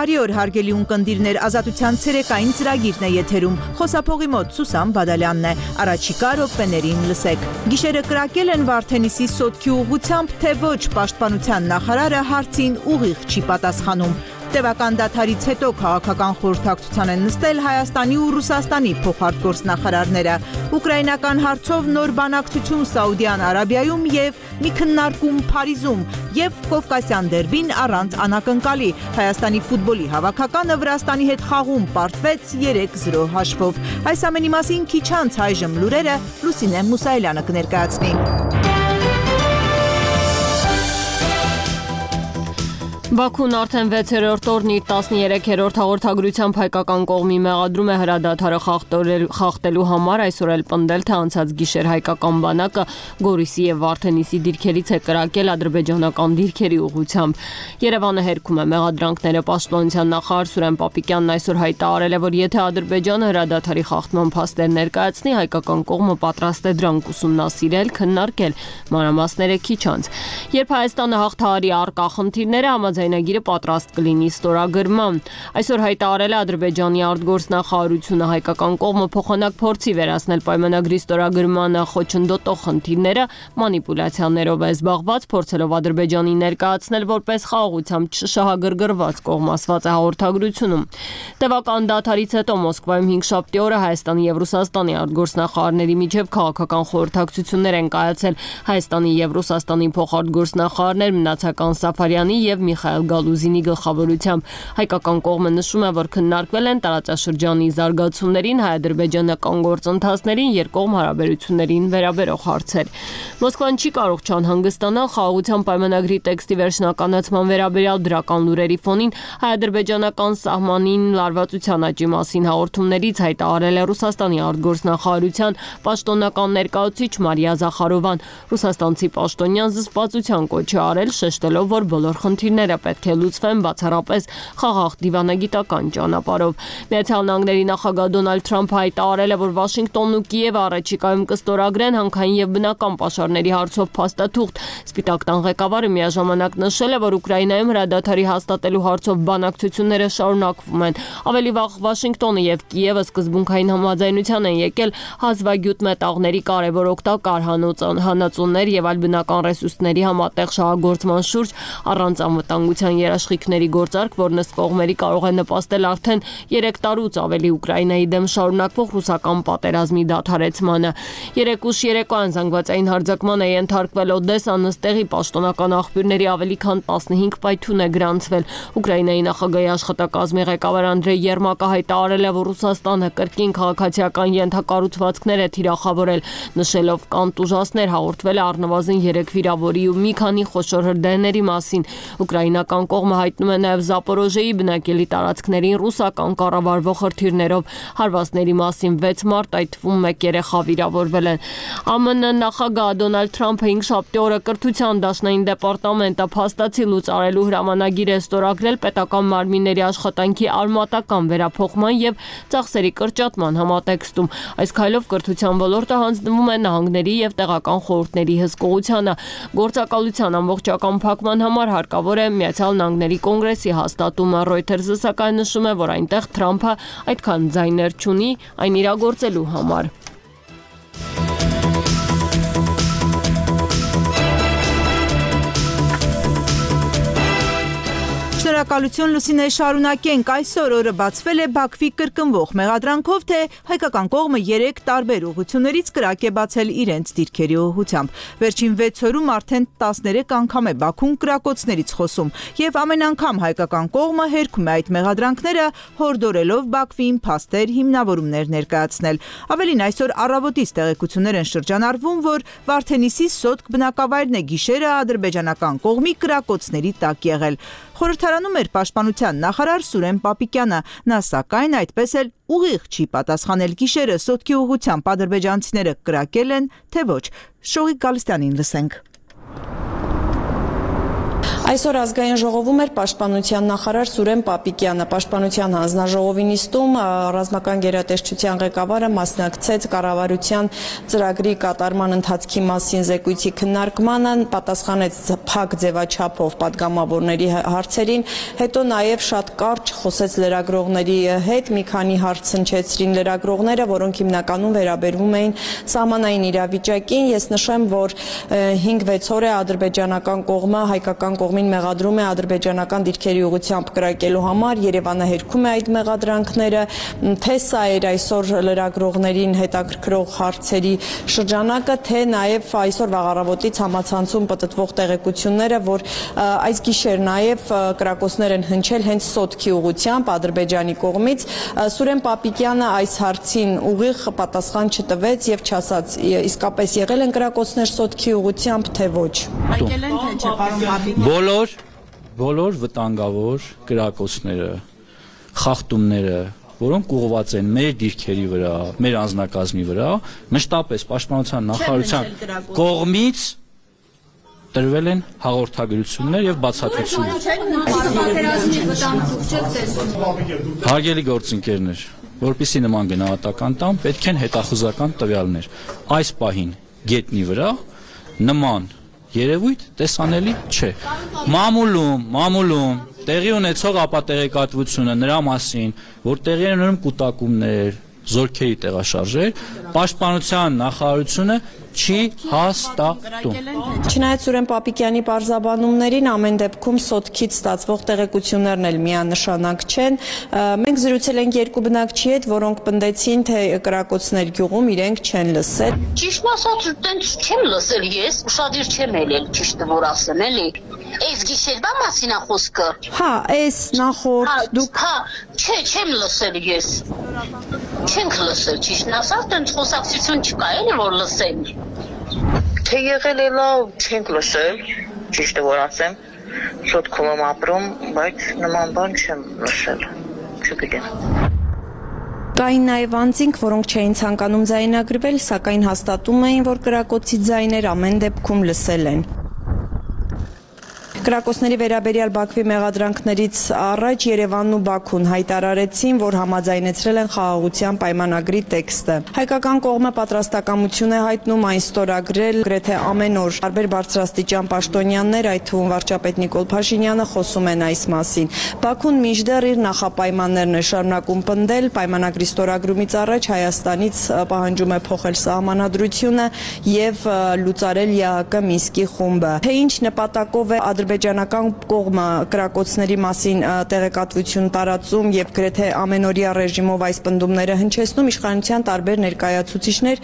Բարի օր հարգելի ունկնդիրներ, Ազատության ցերեկային ծրագիրն է եթերում, խոսափողի մոտ Սուսան Բադալյանն է, առաջիկա րոպեներին լսեք։ Գիշերը կրակել են Վարդենիսի սոտքի ուղղությամբ, թե ոչ, պաշտպանության նախարարը հարցին ուղիղ չի պատասխանում։ Տևական դադարից հետո քաղաքական խորհրդակցության են նստել Հայաստանի ու Ռուսաստանի փոխարտգործնախարարները։ Ուկրաինական հարցով նոր բանակցություն Սաուդյան Արաբիայում եւ մի քննարկում Փարիզում եւ Կովկասյան դերբին առանց անակնկալի։ Հայաստանի ֆուտբոլի հավաքականը Վրաստանի հետ խաղում պարտվեց 3-0 հաշվով։ Այս ամենի մասին քիչ անց այժմ լուրերը Լուսինե Մուսայելյանը կներկայացնի։ Բաքուն արդեն 6-րդ օրն իր 13-րդ հաղորդագրությամբ հայկական կողմի մեղադրում է հրադադարը խախտելու համար, այսօր էլ պնդել, թե անցած գիշեր հայկական բանակը Գորիսի եւ Վարդենիսի դիրքերից է կրակել ադրբեջանական դիրքերի ուղղությամբ։ Երևանը հերքում է մեղադրանքները։ Պաշտպանության նախարար Սուրեն Պապիկյանն այսօր հայտարարել է, որ եթե Ադրբեջանը հրադադարի խախտման փաստեր ներկայացնի, հայկական կողմը պատրաստ է դրանք ուսումնասիրել, քննարկել, մանրամասները քիչ անց։ Երբ Հայաստանը հաղթահարի առկա խնդիրները, Ձայնագիրը պատրաստ կլինի ստորագրման։ Այսօր հայտարարել է Ադրբեջանի արտգործնախարարությունը, հայկական կողմը փոխանակ փորձի վերացնել պայմանագրի ստորագրմանը խոչընդոտող խնդիրները, մանիպուլյացիաներով է զբաղված, փորձելով Ադրբեջանի ներկայացնել որպես խաղաղությամբ չշահագրգռված կողմ, ասված է հաղորդագրությունում։ Տևական դադարից հետո Մոսկվայում 5-շաբթի օրը Հայաստանի եւ Ռուսաստանի արտգործնախարարների միջև քաղաքական խորհրդակցություններ են կայացել։ Հայաստանի եւ Ռուսաստանի փոխարտգործնախարարներ Մնացական Սաֆարյանի եւ Միխայել Գալուզինի գլխավորությամբ։ Հայկական կողմը նշում է, որ քննարկվել են տարածաշրջանի զարգացումներին, հայ-ադրբեջանական գործընթացներին, երկկողմ հարաբերություններին վերաբերող հարցեր։ Մոսկվան չի կարող չանհանգստանալ խաղաղության պայմանագրի տեքստի վերջնականացման վերաբերյալ դրական լուրերի ֆոնին հայ-ադրբեջանական սահմանին լարվածության աճի մասին հաղորդումներից հայտարարել է Ռուսաստանի արտգործնախարարության պաշտոնական ներկայացուցիչ Մարիա Զախարովան։ Ռուսաստանցի պաշտոնյան զսպվածության կոչ է արել, շեշտելով, որ բոլոր խնդիրները պետք է լուծվեն բացառապես խաղաղ դիվանագիտական ճանապարհով։ Միացյալ Նահանգների նախագահ Դոնալդ Թրամփը հայտարարել է, որ Վաշինգտոնն ու Կիևը առաջիկայում կստորագրեն հանքային եւ բնական պաշարների հարցով փաստաթուղթ։ Սպիտակ տան ղեկավարը միաժամանակ նշել է, որ Ուկրաինայում հրադադարի հաստատելու հարցով բանակցությունները շարունակվում են։ Ավելի վաղ Վաշինգտոնը եւ Կիևը սկզբունքային համաձայնության են եկել հազվագյուտ մետաղների կարևոր օգտակար հանածոներ եւ այլ բնական ռեսուրսների համատեղ շահագործման շուրջ առանց անվտանգության երաշխիքների գործարք, որն ըստ կողմերի կարող է նպաստել արդեն 3 տարուց ավելի Ուկրաինայի դեմ շարունակվող ռուսական պատերազմի դադարեցմանը։ 3 ուշ երեկոյան զանգվածային հարձակման է ենթարկվել Օդեսա, նստեղի պաշտոնական աղբյուրների ավելի քան 15 պայթյուն է գրանցվել։ Ուկրաինայի նախագահի աշխատակազմի ղեկավար Անդրեյ Երմակը հայտարարել է, որ Ռուսաստանը կրկին քաղաքացիական ենթակառուցվածքներ է թիրախավորել, նշելով կանտուժասներ հաղորդվել է առնվազն 3 վիրավորի ու մի քանի խոշոր հրդեհների մասին։ Ուկրաինական կողմը հայտնում է նաև Զապորոժեի բնակելի տարածքներին ռուսական կառավարվող հրթիռներով հարվածների մասին 6 մարտ, այդ թվում 1 երեխա վիրավորվել են։ ԱՄՆ նախագահ Դոնալդ Թրամփը 5-շաբթի օրը կրթության դաշնային դեպարտամենտը փաստացի լուծարելու հրամանագիր է ստորագրել պետական մարմինների աշխատանքի արմատական վերափոխման եւ ծախսերի կրճատման համատեքստում։ Այս քայլով կրթության ոլորտը հանձնվում է նահանգների եւ տեղական խորհուրդների հսկողությանը։ Գործակալության ամբողջական փակման համար հարկավոր է Միացյալ Նահանգների կոնգրեսի հաստատումը։ Reuters-ը սակայն նշում է, որ այնտեղ Թրամփը այդքան ձայներ չունի այն իրագործելու համար։ Շնորհակալություն Լուսինե, շարունակենք։ Այսօր օրը բացվել է Բաքվի կրկնվող մեղադրանքով, թե հայկական կողմը 3 տարբեր ուղղություններից կրակ է բացել իրենց դիրքերի ուղղությամբ։ Վերջին 6 օրում արդեն 13 անգամ է Բաքուն կրակոցներից խոսում, եւ ամեն անգամ հայկական կողմը հերքում է այդ մեղադրանքները, հորդորելով Բաքվին փաստեր, հիմնավորումներ ներկայացնել։ Ավելին, այսօր առավոտից տեղեկություններ են շրջանառվում, որ Վարդենիսի սոտք բնակավայրն է գիշերը ադրբեջանական կողմի կրակոցների տակ եղել։ Խորհրդարանում էր պաշտպանության նախարար Սուրեն Պապիկյանը, նա սակայն այդպես էլ ուղիղ չի պատասխանել գիշերը սոտքի ուղղությամբ ադրբեջանցիները կրակել են, թե ոչ։ Շողիկ Գալստյանին լսենք։ Այսօր ազգային ժողովում էր պաշտպանության նախարար Սուրեն Պապիկյանը։ Պաշտպանության հանձնաժողովի նիստում ռազմական գերատեսչության ղեկավարը մասնակցեց կառավարության ծրագրի կատարման ընթացքի մասին զեկույցի քննարկմանը, պատասխանեց փակ ձևաչափով պատգամավորների հարցերին, հետո նաև շատ կարճ խոսեց լրագրողների հետ, մի քանի հարց հնչեցրին լրագրողները, որոնք հիմնականում վերաբերվում էին սահմանային իրավիճակին։ Ես նշեմ, որ 5-6 օր է ադրբեջանական կողմը հայկական կողմին մեղադրում է ադրբեջանական դիրքերի ուղղությամբ կրակելու համար, Երևանը հերքում է այդ մեղադրանքները, թե սա էր այսօր լրագրողներին հետաքրքրող հարցերի շրջանակը, թե նաև այսօր վաղառավոտից համացանցում պտտվող տեղեկությունները, որ այս գիշեր նաև կրակոցներ են հնչել հենց Սոտքի ուղղությամբ Ադրբեջանի կողմից։ Սուրեն Պապիկյանը այս հարցին ուղիղ պատասխան չտվեց եւ չասաց իսկապես եղել են կրակոցներ Սոտքի ուղղությամբ, թե ոչ։ Եկել են թե չէ, պարոն Պապիկյան։ Բոլոր վտանգավոր կրակոցները, խախտումները, որոնք ուղղված են մեր դիրքերի վրա, մեր անձնակազմի վրա, մշտապես պաշտպանության նախարարության կողմից տրվել են հաղորդագրություններ եւ բացատրություններ։ Հարգելի գործընկերներ, որպեսզի նման գնահատական տամ, պետք են հետախուզական տվյալներ։ Այս պահին գետնի վրա նման երևույթ տեսանելի չէ։ Մամուլում տեղի ունեցող ապատեղեկատվությունը նրա մասին, որ տեղի են ունենում կուտակումներ, զորքերի տեղաշարժեր, պաշտպանության նախարարությունը չի հաստատում։ Չնայած Սուրեն Պապիկյանի պարզաբանումներին, ամեն դեպքում Սոտքից ստացվող տեղեկություններն էլ միանշանակ չեն։ Մենք զրուցել ենք երկու բնակչի հետ, որոնք պնդեցին, թե կրակոցներ գյուղում իրենք չեն լսել։ Ճիշտ ասած, տենց չեմ լսել ես, ուշադիր չեմ ելել, ճիշտը որ ասեմ, էլի։ Այս գիշերվա մասին է խոսքը։ Հա, այս նախորդ դուք չէ, չեմ լսել ես։ Չենք լսել, ճիշտն ասած, տենց խոսակցություն չկա, էլի որ լսեն։ Թե եղել է լավ, չենք լսել, ճիշտը որ ասեմ, Սոտքում եմ ապրում, բայց նման բան չեմ լսել, չգիտեմ։ Կային նաև անձինք, որոնք չէին ցանկանում ձայնագրվել, սակայն հաստատում էին, որ կրակոցի ձայներ ամեն դեպքում լսել են։ Կրակոցների վերաբերյալ Բաքվի մեղադրանքներից առաջ Երևանն ու Բաքուն հայտարարեցին, որ համաձայնեցրել են խաղաղության պայմանագրի տեքստը։ Հայկական կողմը պատրաստակամություն է հայտնում այն ստորագրել գրեթե ամեն օր։ Տարբեր բարձրաստիճան պաշտոնյաներ, այդ թվում վարչապետ Նիկոլ Փաշինյանը խոսում են այս մասին։ Բաքուն մինչդեռ իր նախապայմաններն է շարունակում պնդել, պայմանագրի ստորագրումից առաջ Հայաստանից պահանջում է փոխել սահմանադրությունը եւ լուծարել ԵԱՀԿ Մինսկի խումբը։ Թե ինչ նպատակով է ադրբեջանական կողմը կրակոցների մասին տեղեկատվություն տարածում եւ գրեթե ամենօրյա ռեժիմով այս պնդումները հնչեցնում, իշխանության տարբեր ներկայացուցիչներ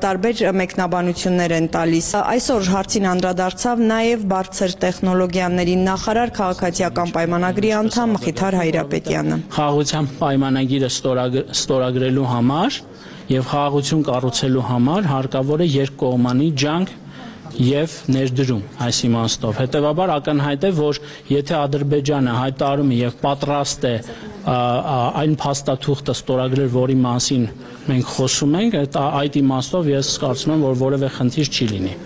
տարբեր մեկնաբանություններ են տալիս։ Այսօր հարցին անդրադարձավ նաեւ բարձր տեխնոլոգիաների նախարար քաղաքացիական պայմանագրի անդամ Մխիթար Հայրապետյանը։ Խաղաղության պայմանագիրը ստորագրելու համար եւ խաղաղություն կառուցելու համար հարկավոր է երկկողմանի ջանք եւ ներդրում այս իմաստով։ Հետեւաբար ակնհայտ է, որ եթե Ադրբեջանը հայտարարում է եւ պատրաստ է այն փաստաթուղթը ստորագրել, որի մասին մենք խոսում ենք, այդ իմաստով ես կարծում եմ, որ որևէ խնդիր չի լինի։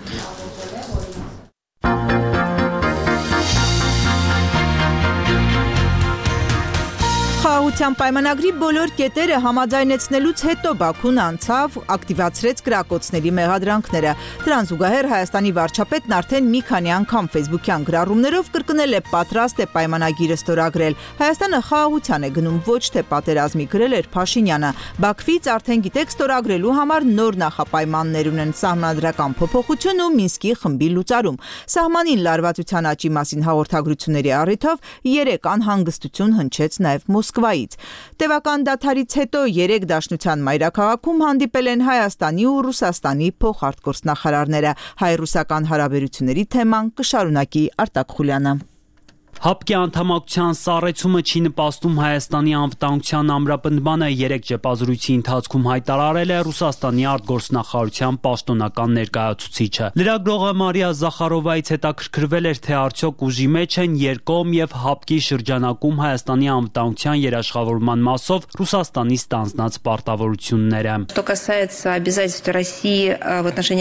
Խաղաղության պայմանագրի բոլոր կետերը համաձայնեցնելուց հետո Բաքուն անցավ ակտիվացրեց կրակոցների մեղադրանքները։ Դրան զուգահեռ Հայաստանի վարչապետն արդեն մի քանի անգամ ֆեյսբուքյան գրառումներով կրկնել է պատրաստ է պայմանագիրը ստորագրել։ Հայաստանը խաղաղության է գնում, ոչ թե պատերազմի, գրել էր Փաշինյանը։ Բաքվից արդեն գիտեք ստորագրելու համար նոր նախապայմաններ ունեն սահմանադրական փոփոխություն ու Մինսկի խմբի լուծարում։ Սահմանին լարվածության աճի մասին հաղորդագրությունների առիթով 3 անհանգստություն հնչեց նաև Մոսկվայից։ Տևական դադարից հետո 3 դաշնության մայրաքաղաքում հանդիպել են Հայաստանի ու Ռուսաստանի փոխարտգործնախարարները։ Հայ-ռուսական հարաբերությունների թեման կշարունակի Արտակ Խուլյանը։ ՀԱՊԿ-ի անդամակցության սառեցումը չի նպաստում Հայաստանի անվտանգության ամրապնդմանը, 3 ճեպազրույցի ընթացքում հայտարարել է Ռուսաստանի արտգործնախարարության պաշտոնական ներկայացուցիչը։ Լրագրողը Մարիա Զախարովայից հետաքրքրվել էր, թե արդյոք ուժի մեջ են երկկողմ եւ ՀԱՊԿ-ի շրջանակում Հայաստանի անվտանգության երաշխավորման մասով Ռուսաստանի ստանձնած պարտավորությունները։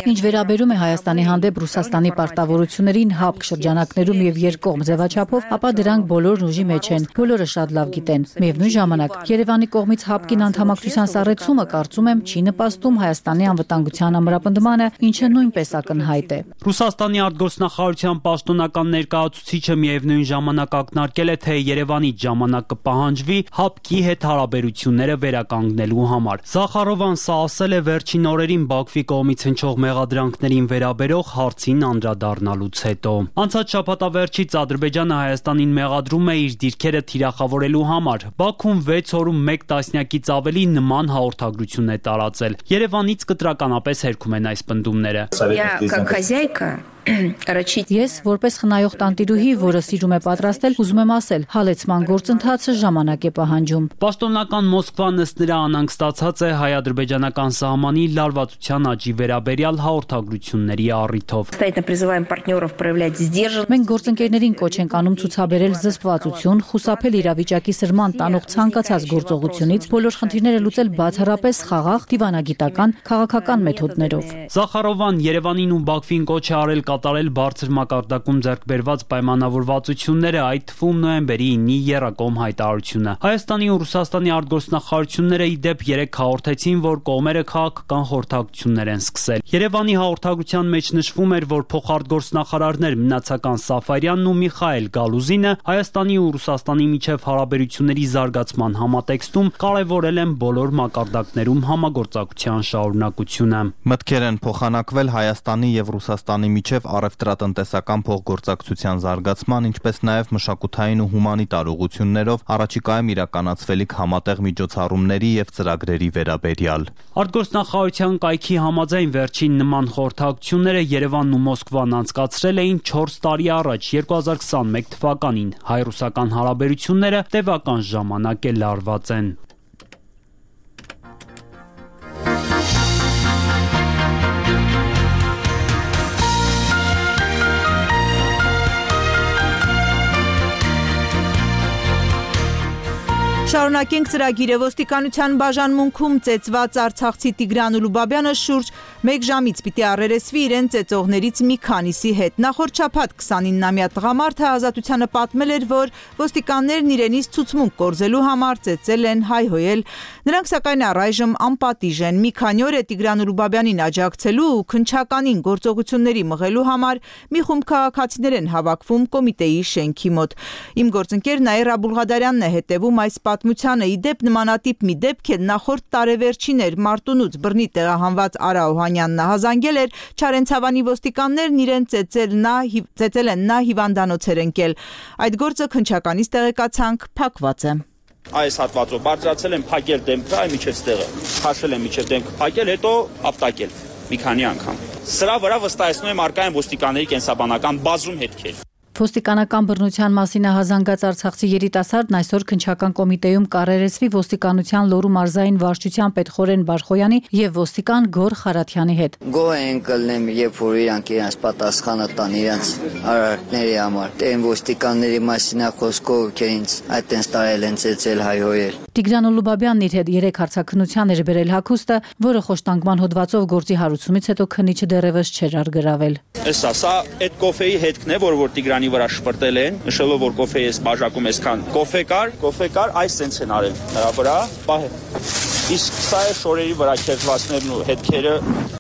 Ինչ վերաբերում է Հայաստանի հանդեպ Ռուսաստանի պարտավորություններին ՀԱՊԿ շրջանակներում եւ երկկողմ ձևաչափով, ապա դրանք բոլորն ուժի մեջ են, բոլորը շատ լավ գիտեն։ Միևնույն ժամանակ Երևանի կողմից ՀԱՊԿ-ին անդամակցության սառեցումը, կարծում եմ, չի նպաստում Հայաստանի անվտանգության ամրապնդմանը, ինչը նույնպես ակնհայտ է։ Ռուսաստանի արտգործնախարարության պաշտոնական ներկայացուցիչը միևնույն ժամանակ ակնարկել է, թե Երևանից ժամանակ կպահանջվի ՀԱՊԿ-ի հետ հարաբերությունները վերականգնելու համար։ Զախարովան սա ասել է վերջին օրերին Բաքվի կողմից հնչող մեղադրանքներին վերաբերող հարցին անդրադառնալուց հետո։ Անցած շաբաթավերջից Ադրբեջանը Հայաստանին մեղադրում է իր դիրքերը թիրախավորելու համար։ Բաքուն 6 օրում 1 տասնյակից ավելի նման հաղորդագրություն է տարածել։ Երևանից կտրականապես հերքում են այս պնդումները։ Ես, որպես խնայող տանտիրուհի, որը սիրում է պատրաստել, ուզում եմ ասել, հալեցման գործընթացը ժամանակ է պահանջում։ Պաշտոնական Մոսկվան ըստ նրա անհանգստացած է հայ-ադրբեջանական սահմանի լարվածության աճի վերաբերյալ հաղորդագրությունների առիթով։ Մենք գործընկերներին կոչ ենք անում ցուցաբերել զսպվածություն, խուսափել իրավիճակի սրման տանող ցանկացած գործողությունից, բոլոր խնդիրները լուծել բացառապես խաղաղ, դիվանագիտական, քաղաքական մեթոդներով։ Զախարովան Երևանին ու Բաքվին կոչ է արել կատարել բարձր մակարդակում ձեռք բերված պայմանավորվածությունները, այդ թվում նոյեմբերի 9-ի եռակողմ հայտարարությունը։ Հայաստանի ու Ռուսաստանի արտգործնախարարությունները ի դեպ 3 հաղորդեցին, որ կողմերը քաղաքական խորհրդակցություններ են սկսել։ Երևանի հաղորդագրության մեջ նշվում էր, որ փոխարտգործնախարարներ Մնացական Սաֆարյանն ու Միխայել Գալուզինը Հայաստանի ու Ռուսաստանի միջև հարաբերությունների զարգացման համատեքստում կարևորել են բոլոր մակարդակներում համագործակցության շարունակությունը։ Մտքեր են փոխանակվել Հայաստանի եւ Ռուսաստանի միջև առևտրատնտեսական փոխգործակցության զարգացման, ինչպես նաև մշակութային ու հումանիտար ուղղություններով առաջիկայում իրականացվելիք համատեղ միջոցառումների եւ ծրագրերի վերաբերյալ։ Արտգործնախարարության կայքի համաձայն վերջին նման խորհրդակցությունները Երևանն ու Մոսկվան անցկացրել էին 4 տարի առաջ, 2021 թվականին։ Հայ-ռուսական հարաբերությունները տևական ժամանակ է լարված են։ Շարունակենք ծրագիրը։ Ոստիկանության բաժանմունքում ծեծված արցախցի Տիգրան Ուլուբաբյանը շուրջ 1 ժամից պիտի առերեսվի իրեն ծեծողներից մի քանիսի հետ։ Նախորդ շաբաթ 29-ամյա տղամարդը ազատությանը պատմել էր, որ ոստիկաններն իրենից ցուցմունք կորզելու համար ծեծել են, հայհոյել։ Նրանք սակայն առայժմ անպատիժ են։ Մի քանի օր է Տիգրան Ուլուբաբյանին աջակցելու ու քննչականին գործողությունների մղելու համար մի խումբ քաղաքացիներ են հավաքվում կոմիտեի շենքի մոտ։ Իմ գործընկեր Նաիրա Բուլղադարյանն է հետևում այս պատմությանը։ Ի դեպ նմանատիպ մի դեպք է նախորդ տարեվերջին էր Մարտունուց բռնի տեղահանված Արա Օհանյանն հազանգել էր, Չարենցավանի ոստիկաններն իրեն ծեծել են նա հիվանդանոց էր ընկել։ Այդ գործը քննչականից տեղեկացանք փակված է։ Այս հատվածով բարձրացել են փակել դեմքը, այ միջև ստեղը, քաշել են միջև դեմքը, փակել, հետո ապտակել մի քանի անգամ։ Սրա վրա վստահեցնում եմ արկա են ոստիկանների կենսաբանական բազում հետքեր։ Ոստիկանական բռնության մասին հազանգած արցախցի երիտասարդն այսօր քննչական կոմիտեում կառերեսվի ոստիկանության Լոռու մարզային վարչության պետխորեն Բարխոյանի եւ ոստիկան Գոր Խարաթյանի հետ։ Գոհ են կլնեմ, երբ որ իրանք իրենց պատասխանը տան իրենց արարքների համար։ Դեն ոստիկանների մասին խոսքով ովքեր ինձ այդտենց տարել են ծեծել, հայհոյել։ Տիգրան Ուլուբաբյանն իր հետ 3 հարցաքննության էր բերել հագուստը, որը խոշտանգման հոդվածով գործի հարուցումից հետո քննիչը դեռևս չէր արգրավել։ Սա այդ կոֆեի հետքն է, որ Տիգրանի վրա շպրտել են, նշելով որ կոֆեի էս բաժակում էսքան կոֆե կար, այս սենց են արել նրա վրա, իսկ սա է շորերի վրա քերծվածներն ու հետքերը։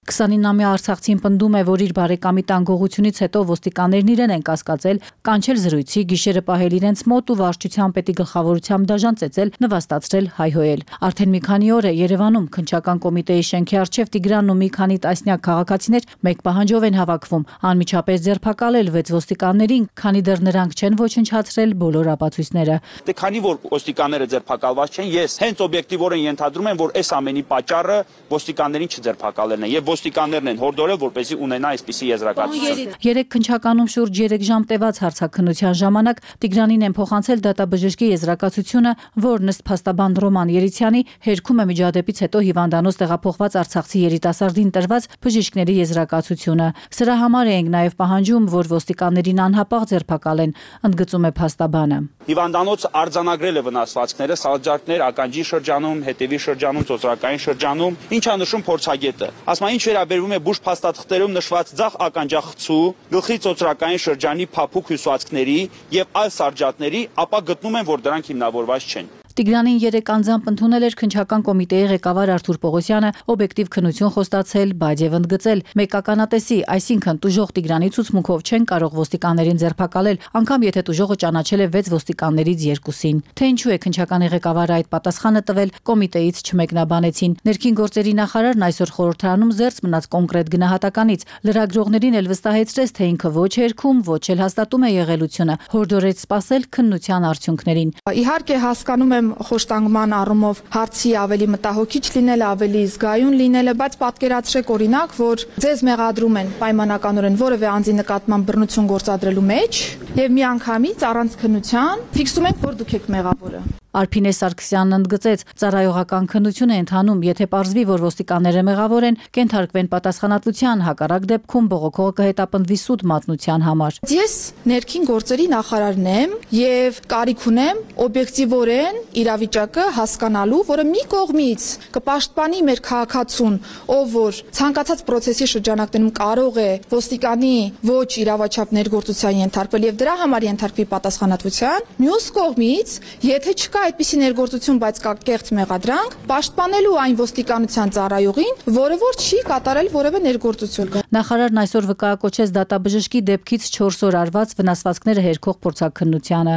29-ամյա արցախցին պնդում է, որ իր բարեկամի տանգողությունից հետո ոստիկաններն իրեն են կասկածել, կանչել զրույցի, գիշերը պահել իրենց մոտ ու վարչության պետի գլխավորությամբ դաժան ծեծել, նվաստացրել, հայհոյել։ Արդեն մի քանի օր է Երևանում քննչական կոմիտեի շենքի առջև Տիգրանն ու մի քանի տասնյակ քաղաքացիներ մեկ պահանջով են հավաքվում անմիջապես ձերբակալել 6 ոստիկաններին, քանի դեռ նրանք չեն ոչնչացրել բոլոր ապացույցները։ Դե քանի որ ոստիկանները ձերբակալված չեն, ես հենց օբյեկտիվորեն ենթադրում եմ, որ այս ամենի պատճառը ոստիկաններին չձերբակալելն է եւ ոստիկաններն են հորդորել, որպեսզի ունենա այսպիսի եզրակացություն։ Երեք քննչականում շուրջ 3 ժամ տևած հարցաքննության ժամանակ Տիգրանին են փոխանցել դատաբժշկի եզրակացությունը, որն ըստ փաստաբան Ռոման Երիցյանի հերքում է միջադեպից հետո հիվանդանոց տեղափոխված արցախցի երիտասարդին տրված բժիշկների եզրակացությունը։ Սրա համար ենք նաև պահանջում, որ ոստիկաններին անհապաղ ձերբակալեն, ընդգծում է փաստաբանը։ Հիվանդանոց արձանագրել է վնասվածքները, սալջարդներ, ականջի շրջանում, հետևի շրջանում, ծոծրակային շրջանում, ինչա նշում փորձագետը։ Ասում ինչ վերաբերվում է բուժ փաստաթղթերում նշված ձախ ականջախցու, գլխի ծոծրակային շրջանի փափուկ հյուսվածքների եւ այլ սալջարդների, ապա գտնում են, որ դրանք հիմնավորված չեն։ Տիգրանին 3 անձամբ ընդունել էր քննչական կոմիտեի ղեկավար Արթուր Պողոսյանը, օբյեկտիվ քննություն խոստացել, բայց եւ ընդգծել, մեկ ականատեսի, այսինքն տուժող Տիգրանի ցուցմունքով չեն կարող ոստիկաններին ձերբակալել, անգամ եթե տուժողը ճանաչել է 6 ոստիկաններից 2-ին։ Թե ինչու է քննչականի ղեկավարը այդ պատասխանը տվել, կոմիտեից չմեկնաբանեցին։ Ներքին գործերի նախարարն այսօր խորհրդարանում զերծ մնաց կոնկրետ գնահատականից, լրագրողներին էլ վստահեցրեց, թե ինքը ոչ հերքում, ոչ էլ հաստատում է եղելությունը, հորդորեց սպասել քննության արդյունքներին։ Իհարկե հասկանում խոշտանգման առումով հարցի ավելի մտահոգիչ լինելը, ավելի զգայուն լինելը, բայց պատկերացրեք օրինակ, որ ձեզ մեղադրում են պայմանականորեն որևէ անձի նկատմամբ բռնություն գործադրելու մեջ եւ միանգամից առանց քննության ֆիքսում ենք, որ դուք եք մեղավորը։ Արփինե Սարգսյանն ընդգծեց, ծառայողական քննություն է ընթանում, եթե պարզվի, որ ոստիկանները մեղավոր են, կենթարկվեն պատասխանատվության, հակառակ դեպքում բողոքողը կհետապնդվի սուտ մատնության համար։ Ես ներքին գործերի նախարարն եմ եւ կարիք ունեմ օբյեկտիվորեն իրավիճակը հասկանալու, որը մի կողմից կպաշտպանի մեր քաղաքացուն, ով որ ցանկացած process-ի շրջանակներում կարող է ոստիկանի ոչ իրավաչափ ներգործության ենթարկվել եւ դրա համար ենթարկվի պատասխանատվության, մյուս կողմից, եթե չկա այդպիսի ներգործություն, բայց կա կեղծ մեղադրանք, պաշտպանելու այն ոստիկանության ծառայողին, որը որ չի կատարել որևէ ներգործություն։ Նախարարն այսօր վկայակոչեց դատաբժշկի դեպքից 4 օր արված վնասվածքները հերքող փորձաքննությանը։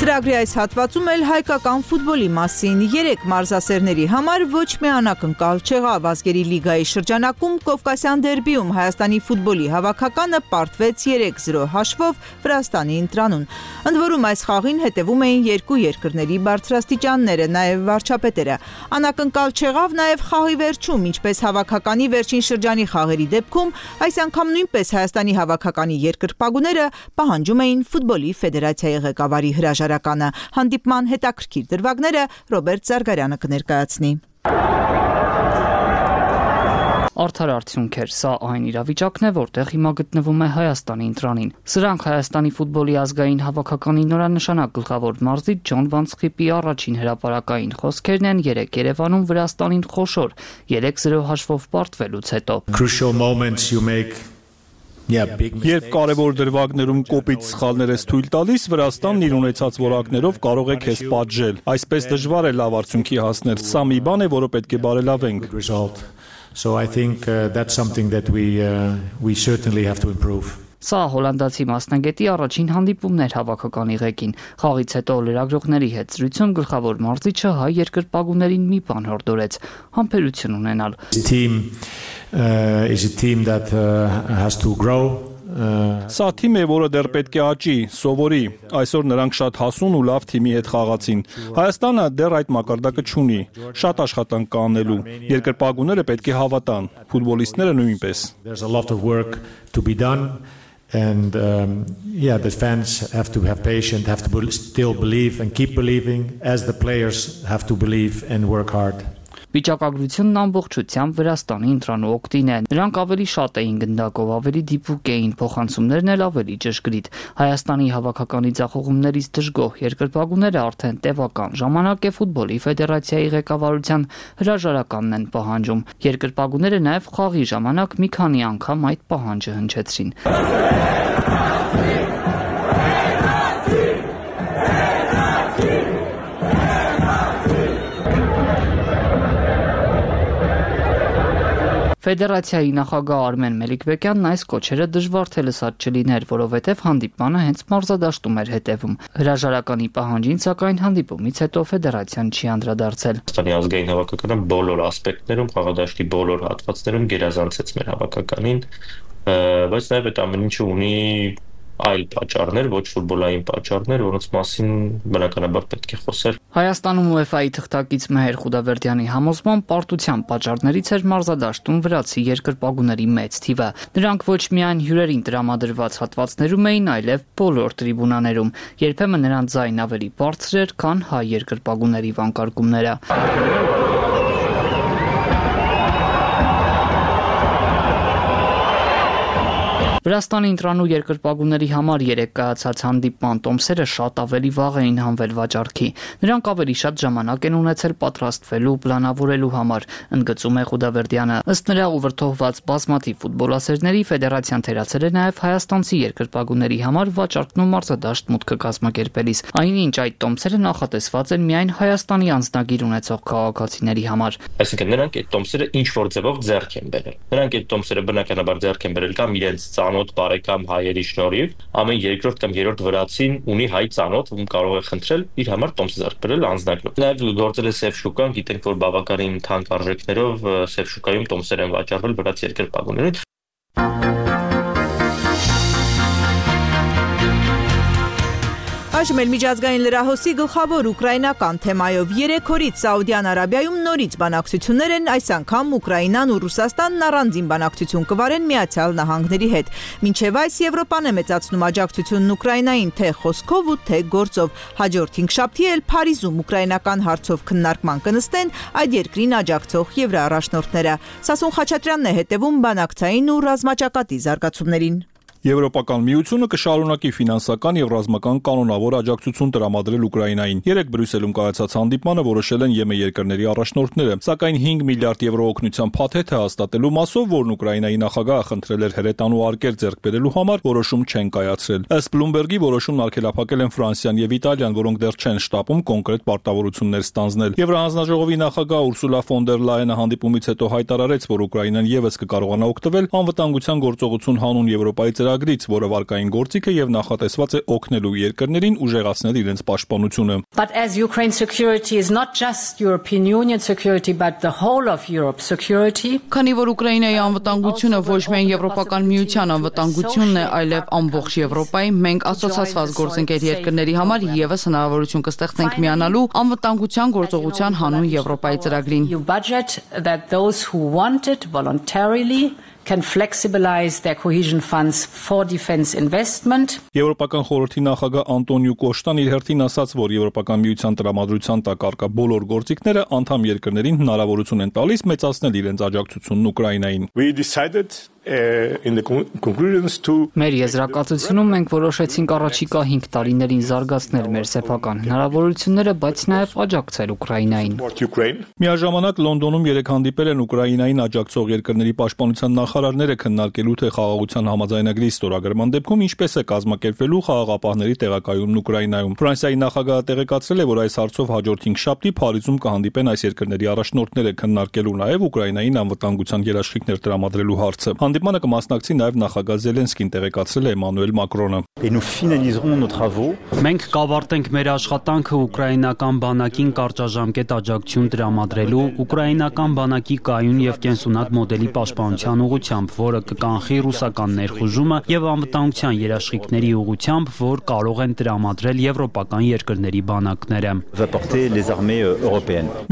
Ծրագրի այս հատվածում էլ հայկական ֆուտբոլի մասին 3 մարզասերների համար ոչ միանակ անկալ չեղավ ազգերի լիգայի շրջանակում Կովկասյան դերբիում Հայաստանի ֆուտբոլի հավաքականը պարտվեց 3-0 հաշվով Վրաստանի ընտրանուն։ Ընդ որում այս խաղին հետևում էին երկու երկրների բարձրաստիճանները, նաև վարչապետերը։ Անակնկալ չեղավ նաև խաղի վերջում, ինչպես հավաքականի վերջին շրջանի խաղերի դեպքում, այս անգամ նույնպես Հայաստանի հավաքականի երկրպագուները պահանջում էին ֆուտբոլի ֆեդերացիայի ղեկավարի հրաժարականը։ Հանդիպման հետաքրքիր դրվագները Ռոբերտ Զարգարյանը կներկայացնի։ Արդար արդյունք էր, սա այն իրավիճակն է, որտեղ հիմա գտնվում է Հայաստանի ընտրանին։ Սրանք Հայաստանի ֆուտբոլի ազգային հավաքականի նորանշանակ գլխավոր մարզիչ Ջոն Վանցխիպի առաջին հրապարակային խոսքերն են 3 Երևանում Վրաստանին խոշոր 3-0 հաշվով պարտվելուց հետո։ Երբ կարևոր դրվագներում կոպիտ սխալներ ես թույլ տալիս, Վրաստանն իր ունեցած որակներով կարող է քեզ պատժել։ Այսպես դժվար է լավ արդյունքի հասնել։ Սա մի բան է, որը պետք է բարելավենք։ So I think that's something that we certainly have to improve. Սա հոլանդացի մասնագետի առաջին հանդիպումն էր հավաքականի ղեկին։ Խաղից հետո լրագրողների հետ զրույցում գլխավոր մարզիչը հայ երկրպագուներին մի բան հորդորեց՝ համբերություն ունենալ։ Is a team that has to grow. Սա թիմ է, որը դեռ պետք է աճի, սովորի։ Այսօր նրանք շատ հասուն ու լավ թիմի հետ խաղացին։ Հայաստանը դեռ այդ մակարդակը չունի։ Շատ աշխատանք կա անելու։ Երկրպագուները պետք է հավատան, ֆուտբոլիստները նույնպես։ There's a lot of work to be done. And the fans have to have patience, have to still believe and keep believing, as the players have to believe and work hard. Վիճակագրությունն ամբողջությամբ Վրաստանի ընտրանու օգտին է։ Նրանք ավելի շատ էին գնդակով, ավելի դիպուկ էին, փոխանցումներն էլ ավելի ճշգրիտ։ Հայաստանի հավաքականի ձախողումներից դժգոհ երկրպագուները արդեն տևական ժամանակ է ֆուտբոլի ֆեդերացիայի ղեկավարության հրաժարականն են պահանջում։ Երկրպագուները նաև խաղի ժամանակ մի քանի անգամ այդ պահանջը հնչեցրին։ Ֆեդերացիայի նախագահ Արմեն Մելիքբեկյանն այս կոչերը դժվար թե լսած չլիներ, որովհետև հանդիպմանը հենց մարզադաշտում էր հետևում։ Հրաժարականի պահանջին, սակայն հանդիպումից հետո ֆեդերացիան չի անդրադարձել։ Հայաստանի ազգային հավաքականը բոլոր ասպեկտներում, խաղադաշտի բոլոր հատվածներում գերազանցեց մեր հավաքականին, բայց նաև այդ ամեն ինչը ունի այլ պատճառներ, ոչ ֆուտբոլային պատճառներ, որոնց մասին բնականաբար պետք է խոսել։ Հայաստանում UEFA-ի թղթակից Մեհեր Խուդավերդյանի համոզմամբ պարտության պատճառներից էր մարզադաշտում վրացի երկրպագուների մեծ թիվը։ Նրանք ոչ միայն հյուրերին տրամադրված հատվածներում էին, այլև բոլոր տրիբունաներում։ Երբեմն նրանց ձայնն ավելի բարձր էր, քան հայ երկրպագուների վանկարկումները։ Վրաստանի ընտրանու երկրպագուների համար երեկ կայացած հանդիպման տոմսերը շատ ավելի վաղ էին հանվել վաճառքի։ Նրանք ավելի շատ ժամանակ են ունեցել պատրաստվելու, պլանավորելու համար, ընդգծում է Խուդավերդյանը։ Ըստ նրա ուվրթովված բազմաթիվ ֆուտբոլասերների ֆեդերացիան թերացել է նաև հայաստանցի երկրպագուների համար վաճառքն ու մարզադաշտ մուտքը կազմակերպելիս, այնինչ այդ տոմսերը նախատեսված են միայն Հայաստանի անձնագիր ունեցող քաղաքացիների համար։ Այսինքն նրանք այդ տոմսերը ինչ որ ձևով ձեռք են բերել։ Նրանք այդ տոմսերը բնականաբար ձեռք են բերել կամ իրենց ծանոթ բարեկամ հայերի շնորհիվ, ամեն երկրորդ կամ երրորդ վրացին ունի հայ ծանոթ, ում կարող է խնդրել իր համար տոմս ձեռք բերել անձնագրով։ Նաև գործել է սև շուկան, գիտենք, որ բավականին թանկ արժեքներով սև շուկայում տոմսեր են վաճառվել վրաց երկրպագուներին։ Այժմ էլ միջազգային լրահոսի գլխավոր ուկրաինական թեմայով 3 օրից Սաուդյան Արաբիայում նորից բանակցություններ են, այս անգամ Ուկրաինան ու Ռուսաստանն առանձին բանակցություն կվարեն Միացյալ Նահանգների հետ։ Մինչև այս Եվրոպան է մեծացնում աջակցությունն Ուկրաինային թե խոսքով ու թե գործով։ Հաջորդ 5 շաբթի էլ Փարիզում ուկրաինական հարցով քննարկման կնստեն այդ երկրին աջակցող եվրոառաջնորդները։ Սասուն Խաչատրյանն է հետևում բանակցային ու ռազմաճակատի զարգացումներին։ Եվրոպական միությունը կշարունակի ֆինանսական եւ ռազմական կանոնավոր աջակցություն տրամադրել Ուկրաինային։ Երեկ Բրյուսելում կայացած հանդիպմանը որոշել են ԵՄ երկրների առաջնորդները, սակայն 5 միլիարդ եվրո օգնության փաթեթը հաստատելու մասով, որն Ուկրաինայի նախագահը խնդրել էր հրետանու արկեր ձեռք բերելու համար, որոշում չեն կայացրել։ Ըստ Bloomberg-ի որոշումն արգելափակել են Ֆրանսիան եւ Իտալիան, որոնք դեռ չեն շտապում կոնկրետ պարտավորություններ ստանձնել։ Եվրահանձնաժողովի նախագահ Ուրսուլա ֆոն դեր Լայենը հանդիպումից հետո հայտարարեց, որ Ուկրաինան եւս կկարողանա օգտվել անվտանգության գործողություն հանուն Եվրոպայի ծրագրից, որը վարկային գործիք է եւ նախատեսված է օգնելու երկրներին ուժեղացնել իրենց պաշտպանությունը։ But as Ukraine security is not just European Union security but the whole of Europe security. Քանի որ Ուկրաինայի անվտանգությունը ոչ միայն Եվրոպական միության անվտանգությունն է, այլև ամբողջ Եվրոպայի, մենք ասոցացված գործընկեր երկրների համար եւս հնարավորություն կստեղծենք միանալու անվտանգության գործողության հանուն Եվրոպայի ծրագրին։ You budget that those who want it voluntarily can flexibilize their cohesion funds for defense investment. Եվրոպական խորհրդի նախագահ Անտոնիո Կոշտան իր հերթին ասաց, որ Եվրոպական միության տրամադրության տակ առկա բոլոր գործիքները անդամ երկրներին հնարավորություն են տալիս մեծացնել իրենց աջակցությունն Ուկրաինային։ We decided in the conclusions to Մեր եզրակացությունում մենք որոշեցինք առաջիկա 5 տարիներին զարգացնել մեր սեփական հնարավորությունները, բայց նաև աջակցել Ուկրաինային։ Միաժամանակ Լոնդոնում երեք հանդիպել են Ուկրաինային աջակցող երկրների պաշտպանության նախարարները քննարկելու թե խաղաղության համաձայնագրի ստորագրման դեպքում ինչպես է կազմակերպվելու խաղաղապահների տեղակայումն Ուկրաինայում։ Ֆրանսիայի նախագահը տեղեկացրել է, որ այս հարցով հաջորդ 5 շաբթի Փարիզում կհանդիպեն այս երկրների առաջնորդները քննարկելու նաև Ուկրաինային անվտանգության երաշխիքներ տրամադրելու հարցը։ Հանդիպմանը կմասնակցի նաև նախագահ Զելենսկին, տեղեկացրել է Էմանուել Մակրոնը։ Մենք կավարտենք մեր աշխատանքը ուկրաինական բանակին կարճաժամկետ աջակցություն տրամադրելու, ուկրաինական բանակի կայուն եւ կենսունակ մոդելի պաշտպանության ուղղությամբ, որը կկանխի ռուսական ներխուժումը եւ անվտանգության երաշխիքների ուղղությամբ, որ կարող են տրամադրել եվրոպական երկրների բանակները։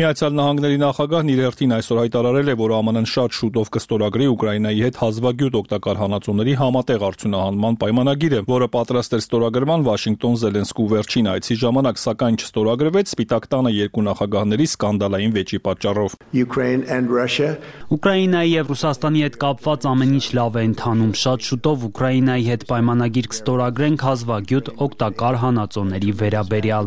Միացյալ Նահանգների նախագահն իր հերթին այսօր հայտարարել է, որ ԱՄՆ-ն շատ շուտով կստորագրի Ուկրաինայի հետ հազվագյուտ օգտակար հանածոների համատեղ արդյունահանման պայմանագիրը, որը պատրաստ էր ստորագրման Վաշինգտոն Զելենսկու վերջին այցի ժամանակ, սակայն չստորագրվեց Սպիտակ տանը երկու նախագահների սկանդալային վեճի պատճառով։ Ուկրաինայի եւ Ռուսաստանի հետ կապված ամեն ինչ լավ է ընթանում։ Շատ շուտով Ուկրաինայի հետ պայմանագիր կստորագրենք հազվագյուտ օգտակար հանածոների վերաբերյալ։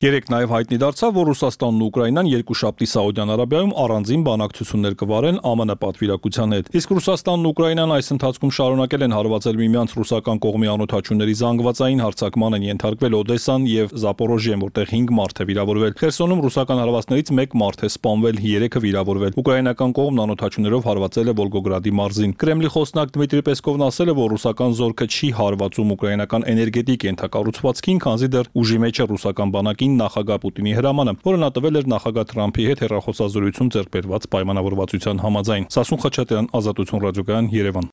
Երեք նաև հայտնի դարձավ, որ Ռուսաստանն ու Ուկրաինան երկուշաբթի Սաուդյան Արաբիայում առանձին բանակցություններ կվարեն ԱՄՆ պատվիրակության հետ։ Իսկ Ռուսաստանն ու Ուկրաինան այս ընթացքում շարունակել են հարվածել միմյանց ռուսական կողմի անօդաչուների զանգվածային հարձակման են ենթարկվել Օդեսան եւ Զապորոժիեն, որտեղ 5 մարդ է վիրավորվել։ Խերսոնում ռուսական հարվածներից 1 մարդ է սպանվել, 3-ը վիրավորվել։ Ուկրաինական կողմն անօդաչուներով հարվածել է Վոլգոգրադի մարզին։ Կրեմլի խոսնակ Դմիտրի Պեսկովն ասել է, որ ռուսական զորքը չի հարվածում ուկրաինական էներգետիկ ենթակառուցվածքին, քանզի դեռ ուժի մեջ է ռուսական բանակին նախագահ Պուտինի հրամանը, որը նա տվել էր նախագահ Թրամփի հետ հեռախոսազրույցում ձեռք բերված պայմանավորվածության համաձայն։ Սասուն Խաչատրյան, Ազատություն ռադիոկայան, Երևան։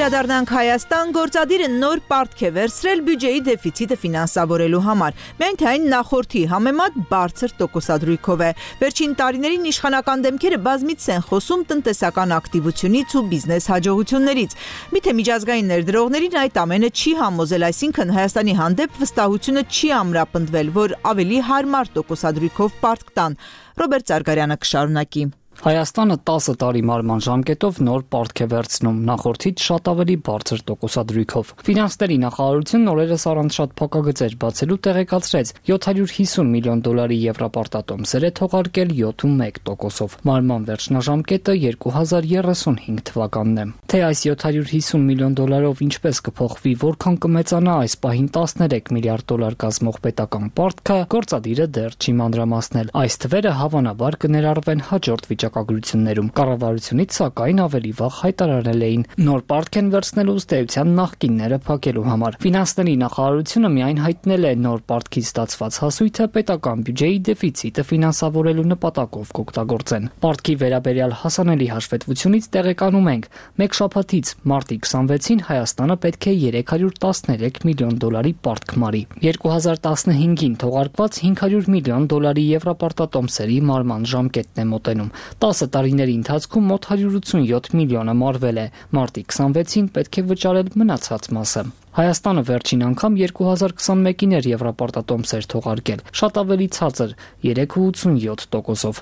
Վերադառնանք Հայաստան, գործադիրը նոր պարտք է վերցրել բյուջեի դեֆիցիտը ֆինանսավորելու համար, միայն թե այն նախորդի համեմատ բարձր տոկոսադրույքով է։ Վերջին տարիներին իշխանական դեմքերը բազմիցս են խոսում տնտեսական ակտիվությունից ու բիզնես հաջողություններից։ Միթե միջազգային ներդրողներին այդ ամենը չի համոզել, այսինքն Հայաստանի հանդեպ վստահությունը չի ամրապնդվել, որ ավելի հարմար տոկոսադրույքով պարտք տան։ Ռոբերտ Զարգարյանը կշարունակի։ Հայաստանը 10 տարի մարման ժամկետով նոր պարտք է վերցնում, նախորդից շատ ավելի բարձր տոկոսադրույքով։ Ֆինանսների նախարարությունն օրերս առանց շատ փակագծեր բացելու տեղեկացրեց 750 միլիոն դոլարի եվրոպարտատոմսեր է թողարկել 7.1%-ով։ Մարման վերջնաժամկետը 2035 թվականն է։ Թե այս 750 միլիոն դոլարով ինչպես կփոխվի, որքան կմեծանա այս պահին 13 միլիարդ դոլար կազմող պետական պարտքը, գործադիրը դեռ չի մանրամասնել։ Այս թվերը հավանաբար կներառվեն հաջորդ վիճակագրություններում։ Կառավարությունից սակայն ավելի վաղ հայտարարել էին նոր պարտք են վերցնելու ըստ էության նախկինները փակելու համար։ Ֆինանսների նախարարությունը միայն հայտնել է նոր պարտքից ստացված հասույթը պետական բյուջեի դեֆիցիտը ֆինանսավորելու նպատակով կօգտագործեն։ Պարտքի վերաբերյալ հասանելի հաշվետվությունից տեղեկանում ենք, մեկ շաբաթից մարտի 26-ին Հայաստանը պետք է 313 միլիոն դոլարի պարտք մարի։ 2015-ին թողարկված 500 միլիոն դոլարի եվրոպարտատոմսերի մարման ժամկետն է մոտենում։ 10 տարիների ընթացքում մոտ 187 միլիոնը մարվել է, մարտի 26-ին պետք է վճարել մնացած մասը։ Հայաստանը վերջին անգամ 2021-ին էր եվրոպարտատոմսեր թողարկել, շատ ավելի ցածր 3.87%-ով։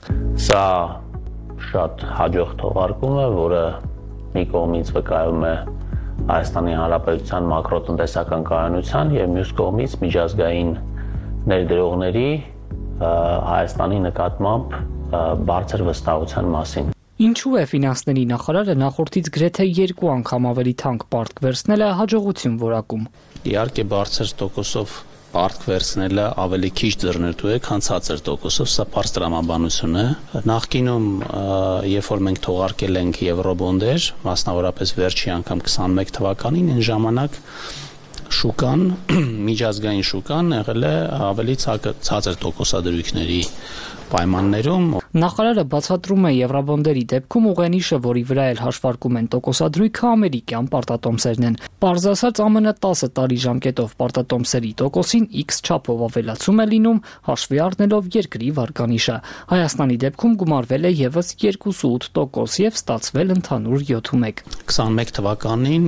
Սա շատ հաջող թողարկում է, որը մի կողմից վկայում է Հայաստանի Հանրապետության մակրոտնտեսական կայունության եւ մյուս կողմից միջազգային ներդրողների Հայաստանի նկատմամբ բարձր վստահության մասին։ Ինչու է ֆինանսների նախարարը նախորդից գրեթե 2 անգամ ավելի թանկ պարտք վերցնել է հաջողություն որակում։ Իհարկե բարձր տոկոսով պարտք վերցնելը ավելի քիչ ձեռնտու է, քան ցածր տոկոսով, սա բարձր տրամաբանություն է։ Նախկինում, երբ որ մենք թողարկել ենք եվրոբոնդեր, մասնավորապես վերջի անգամ 21 թվականին, այն ժամանակ շուկան, միջազգային շուկան եղել է ավելի ցածր տոկոսադրույքների պայմաններում։ Նախարարը բացատրում է եվրոբոնդերի դեպքում ուղենիշը, որի վրա էլ հաշվարկում են տոկոսադրույքը, ամերիկյան պարտատոմսերն են։ Պարզ ասած, ԱՄՆ 10 տարի ժամկետով պարտատոմսերի տոկոսին X չափով ավելացում է լինում, հաշվի առնելով երկրի վարկանիշը։ Հայաստանի դեպքում գումարվել է եւս 2.8% եւ ստացվել ընդհանուր 7.1։ 21 թվականին,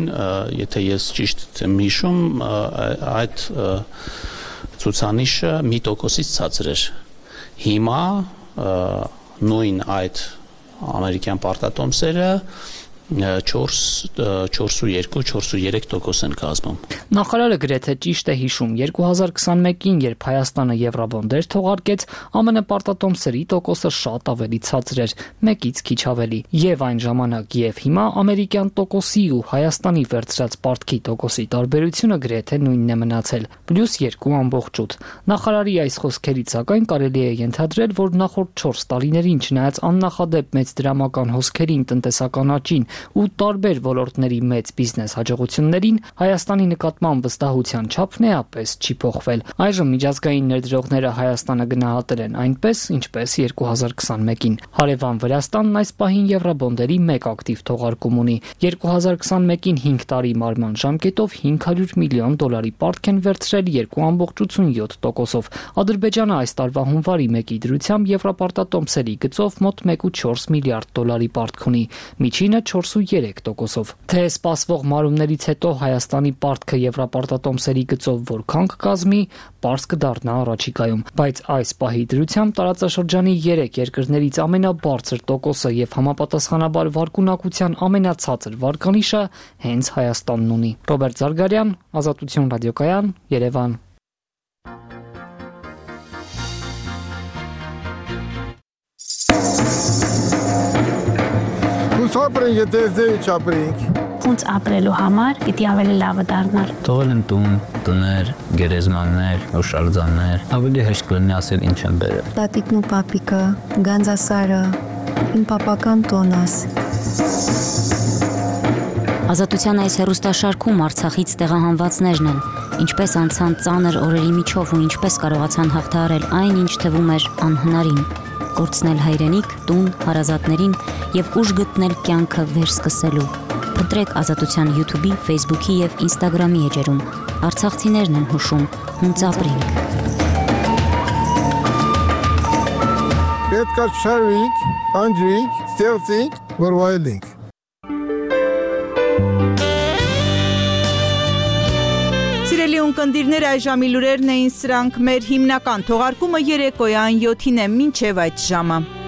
եթե ես ճիշտ եմ հիշում, այդ ցուցանիշը 1%-ից ցածր էր։ Հիմա նույն այդ ամերիկյան պարտատոմսերը 4.2-4.3% են կազմում։ Նախարարը գրեթե ճիշտ է հիշում, 2021-ին, երբ Հայաստանը եվրոբոնդեր թողարկեց, ԱՄՆ պարտատոմսերի տոկոսը շատ ավելի ցածր էր, 1-ից քիչ ավելի։ Եվ այն ժամանակ եւ հիմա ամերիկյան տոկոսի ու Հայաստանի վերցրած պարտքի տոկոսի տարբերությունը գրեթե նույնն է մնացել, +2.8։ Նախարարի այս խոսքերից սակայն կարելի է ենթադրել, որ նախորդ 4 տարիներին, չնայած աննախադեպ մեծ դրամական հոսքերին, տնտեսական աճին ու տարբեր ոլորտների մեծ բիզնես հաջողություններին, Հայաստանի նկատմամբ վստահության չափն էապես չի փոխվել։ Այժմ միջազգային ներդրողները Հայաստանը գնահատել են այնպես, ինչպես 2021-ին։ Հարևան Վրաստանն այս պահին եվրոբոնդերի 1 ակտիվ թողարկում ունի։ 2021-ին 5 տարի մարման ժամկետով 500 միլիոն դոլարի պարտք են վերցրել 2.7%-ով։ Ադրբեջանը այս տարվա հունվարի 1-ի դրությամբ եվրոպարտատոմսերի գծով մոտ 1.4 միլիարդ դոլարի պարտք ունի, միջինը 4.3%-ով։ Թե սպասվող մարումներից հետո Հայաստանի պարտքը եվրոպարտատոմսերի գծով որքան կկազմի, պարզ կդառնա առաջիկայում, բայց այս պահի դրությամբ տարածաշրջանի 3 երկրներից ամենաբարձր տոկոսը եւ համապատասխանաբար վարկունակության ամենացածր վարկանիշը հենց Հայաստանն ունի։ Ռոբերտ Զարգարյան, Ազատություն ռադիոկայան, Երևան։ Ապրենք, եթե ձեի չապրենք։ Ոնց ապրելու համար պիտի ավելի լավը դառնալ։ Թողել են տուն, տներ, գերեզմաններ, հուշարձաններ, ավելի հեշտ կլինի ասել ինչ են բերել։ Տատիկն ու պապիկը, Գանձասարը, իմ պապական տոնաս։ Ազատության այս հեռուստաշարքում Արցախից տեղահանվածներն են, ինչպես անցան ծանր օրերի միջով ու ինչպես կարողացան հաղթահարել այն, ինչ թվում էր անհնարին։ Կորցնել հայրենիք, տուն, հարազատներին եւ ուժ գտնել կյանքը վերսկսելու։ Ընտրեք Ազատության YouTube-ի, Facebook-ի եւ Instagram-ի էջերում։ Արցախցիներն են հուշում, հունց ապրինք։ Պետք է շարվենք, անջրենք, ստեղծենք, որ վայելենք։ Սիրելի ունկնդիրներ, այժմի լուրերն էին սրանք, մեր հիմնական թողարկումը երեկոյան 7-ին է, մինչև այդ ժամը։